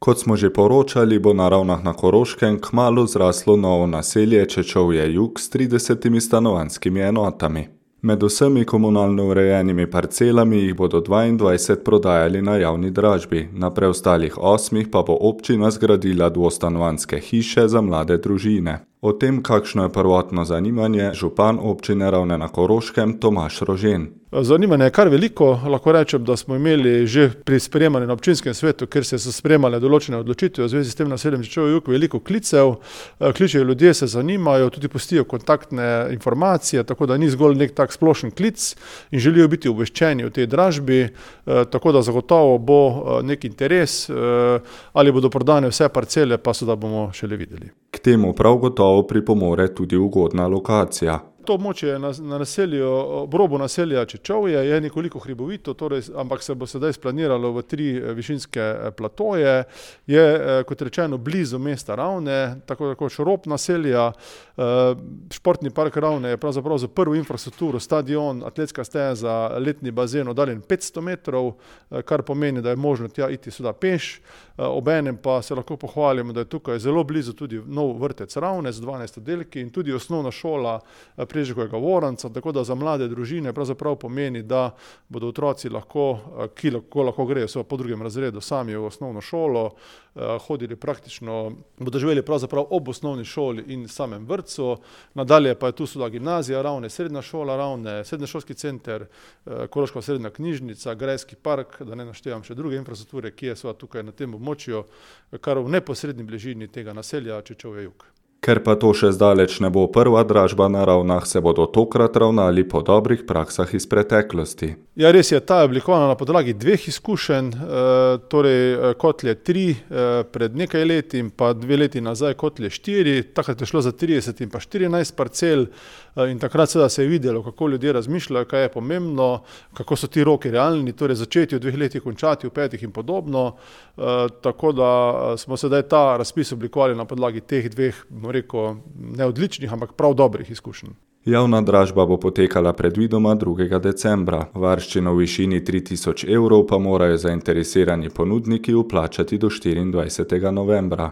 Kot smo že poročali, bo na Ravnah na Koroškem kmalu zraslo novo naselje Čečovje Jug s 30 stanovanjskimi enotami. Med vsemi komunalno urejenimi parcelami jih bodo 22 prodajali na javni dražbi, na preostalih 8 pa bo občina zgradila dvostanovanjske hiše za mlade družine. O tem, kakšno je prvotno zanimanje, župan občine Ravne na Koroškem Tomaž Rožen. Zanimanje je kar veliko, lahko rečem, da smo imeli že pri sprejemanju na občinskem svetu, kjer se so sprejemale določene odločitve v zvezi s tem naseljem Čečovje Jug, veliko klicev, kličejo ljudje, se zanimajo, tudi pustijo kontaktne informacije, tako da ni zgolj nek tak splošen klic in želijo biti obveščeni o tej dražbi, tako da zagotovo bo nek interes, ali bodo prodane vse parcele, pa seveda bomo šele videli. K temu prav gotovo pripomore tudi ugodna lokacija. To območje na naselju, ob robu naselja Čečovje je nekoliko hribovito, ampak se bo sedaj splaniralo v 3 višinske platoje. Je, kot rečeno, blizu mesta Ravne, tako rob naselja. Športni park Ravne je pravzaprav za prvo infrastrukturo, stadion, atletska steza, letni bazen oddaljen 500 metrov, kar pomeni, da je možno tja iti seveda peš. Obenem pa se lahko pohvalimo, da je tukaj zelo blizu tudi nov vrtec Ravne z 12 oddelki in tudi osnovna šola Preživega Voranca, tako da za mlade družine pravzaprav pomeni, da bodo otroci ki lahko grejo po 2. razredu sami v osnovno šolo, hodili praktično, bodo živeli pravzaprav ob osnovni šoli in samem vrtcu. Nadalje pa je tu seveda gimnazija Ravne, srednja šola Ravne, srednješolski center, Koroška srednja knjižnica, grajski park, da ne naštevam še druge infrastrukture, ki je seveda tukaj na tem območju, kar v neposredni bližini tega naselja Čečovje Jug. Ker pa to še zdaleč ne bo prva dražba na Ravnah, se bodo tokrat ravnali po dobrih praksah iz preteklosti. Ja, res je, ta je oblikovana na podlagi 2 izkušenj, torej Kotlje 3 pred nekaj leti in pa 2 leti nazaj Kotlje 4, takrat je šlo za 30 in pa 14 parcel in takrat seveda se je videlo, kako ljudje razmišljajo, kaj je pomembno, kako so ti roki realni, torej začeti v 2 letih, končati v 5 in podobno, tako da smo sedaj ta razpis oblikovali na podlagi teh 2, rekel, ne odličnih, ampak prav dobrih izkušenj. Javna dražba bo potekala predvidoma 2. decembra. Varščino v višini 3000 evrov pa morajo zainteresirani ponudniki vplačati do 24. novembra.